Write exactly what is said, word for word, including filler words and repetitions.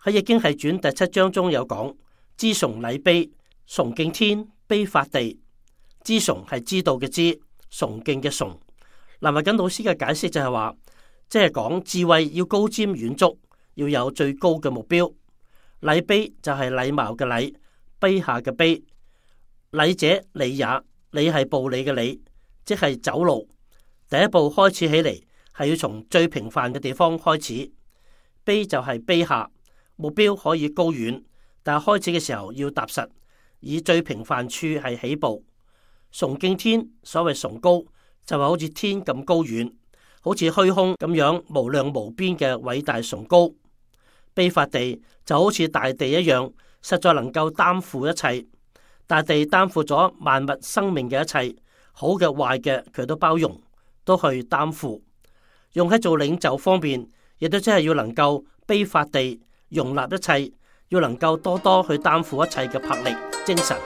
喺《易經系傳》第七章中有講：知崇禮卑，崇敬天，卑法地。知崇係知道嘅知，崇敬嘅崇。林慧瑾老師嘅解釋就係話，即係講智慧要高瞻遠矚，要有最高嘅目標。禮卑就係禮貌嘅禮，卑下嘅卑。禮者理也，理係步履嘅理，即係走路。第一步開始起嚟，係要從最平凡嘅地方開始。卑就係卑下，目標可以高遠，但係開始嘅時候要踏實，以最平凡處係起步。崇敬天，所謂崇高就係好似天咁高遠，好似虛空咁樣無量無邊嘅偉大崇高。卑法地就好似大地一樣，實在能夠擔負一切。大地擔負咗萬物生命嘅一切，好嘅壞嘅佢都包容，都去擔負。用喺做領袖方面，亦都真係要能夠卑法地容納一切，要能夠多多去擔負一切嘅魄力精神。